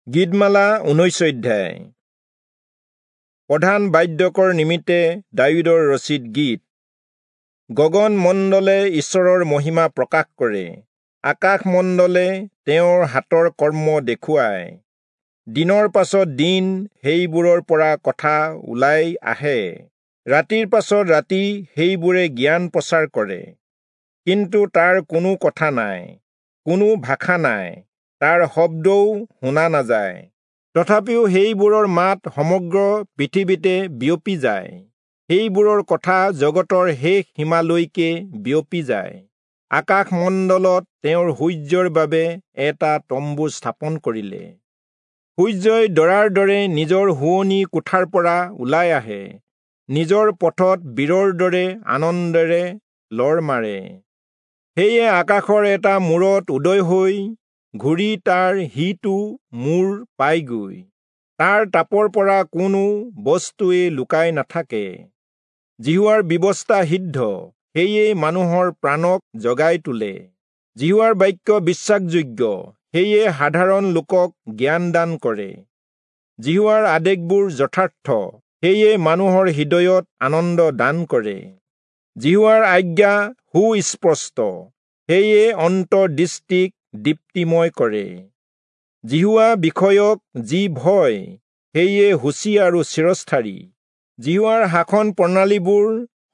গীতমালা 19 অধ্যায়। প্ৰধান বাদ্যকৰ নিমিত্তে দায়ূদৰ ৰচিত গীত। গগন মণ্ডলে ঈশ্বৰৰ মহিমা প্ৰকাশ কৰে, আকাশ মণ্ডলে তেওঁৰ হাতৰ কৰ্ম দেখুৱায়। দিনৰ পাছত দিন সেইবোৰৰ পৰা কথা ওলাই আহে, ৰাতিৰ পাছত ৰাতি সেইবোৰে জ্ঞান প্ৰচাৰ কৰে। কিন্তু তাৰ কোনো কথা নাই, কোনো ভাষা নাই, তাৰ শব্দও শুনা নাযায়। তথাপিও সেইবোৰৰ মাত সমগ্ৰ পৃথিৱীতে বিয়পি যায়, সেইবোৰৰ কথা জগতৰ শেষ সীমালৈকে বিয়পি যায়। আকাশমণ্ডলত তেওঁৰ সূৰ্যৰ বাবে এটা তম্বু স্থাপন কৰিলে। সূৰ্যই দৰাৰ দৰে নিজৰ শোৱনি কোঠাৰ পৰা ওলাই আহে, নিজৰ পথত বীৰৰ দৰে আনন্দেৰে লৰ মাৰে। সেয়ে আকাশৰ এটা মূৰত উদয় হৈ ঘূৰি তাৰ সিটো মূৰ পায়গৈ, তাৰ তাপৰ পৰা কোনো বস্তুৱেই লুকাই নাথাকে। যিহোৱাৰ ব্যৱস্থা সিদ্ধ, সেয়ে মানুহৰ প্ৰাণক জগাই তোলে। যিহোৱাৰ বাক্য বিশ্বাসযোগ্য, সেয়ে সাধাৰণ লোকক জ্ঞান দান কৰে। যিহোৱাৰ আদেশবোৰ যথাৰ্থ, সেয়ে মানুহৰ হৃদয়ত আনন্দ দান কৰে। যিহোৱাৰ আজ্ঞা সুস্পষ্ট, সেয়ে অন্তৰ্দৃষ্টিক দীপ্তিময় কৰে। যিহোৱা বিষয়ক যি ভয়, সেয়ে সূচী আৰু চিৰস্থায়ী। যিহোৱাৰ শাসন প্ৰণালীবোৰ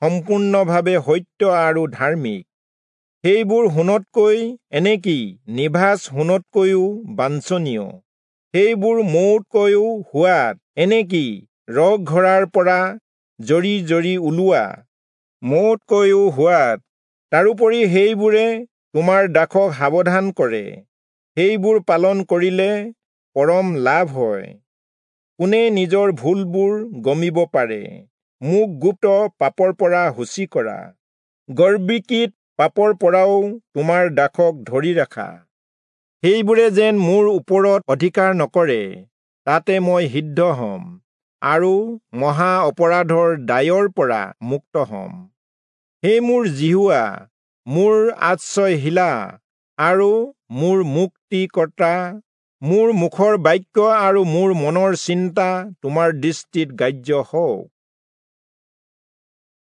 সম্পূৰ্ণভাৱে সত্য আৰু ধাৰ্মিক, সেইবোৰ সোণতকৈ, এনেকি নিভাঁজ সোণতকৈও বাঞ্ছনীয়। সেইবোৰ মৌতকৈও সোৱাদ, এনেকি ৰসঘৰাৰ পৰা জৰি জৰি ওলোৱা মৌতকৈও সোৱাদ। তাৰোপৰি সেইবোৰে তোমাৰ দাসক সাৱধান কৰে, সেইবোৰ পালন কৰিলে পৰম লাভ হয়। কোনে নিজৰ ভুলবোৰ গমিব পাৰে? মোক গুপ্ত পাপৰ পৰা সূচী কৰা, গৰ্বীকৃত পাপৰ পৰাও তোমাৰ দাসক ধৰি ৰাখা। সেইবোৰে যেন মোৰ ওপৰত অধিকাৰ নকৰে, তাতে মই সিদ্ধ হ'ম আৰু মহা অপৰাধৰ দায়ৰ পৰা মুক্ত হ'ম। হে মোৰ যিহোৱা, মোৰ আশ্ৰয়শিলা আৰু মোৰ মুক্তিকৰ্তা, মোৰ মুখৰ বাক্য আৰু মোৰ মনৰ চিন্তা তোমাৰ দৃষ্টিত গ্ৰাহ্য হওক।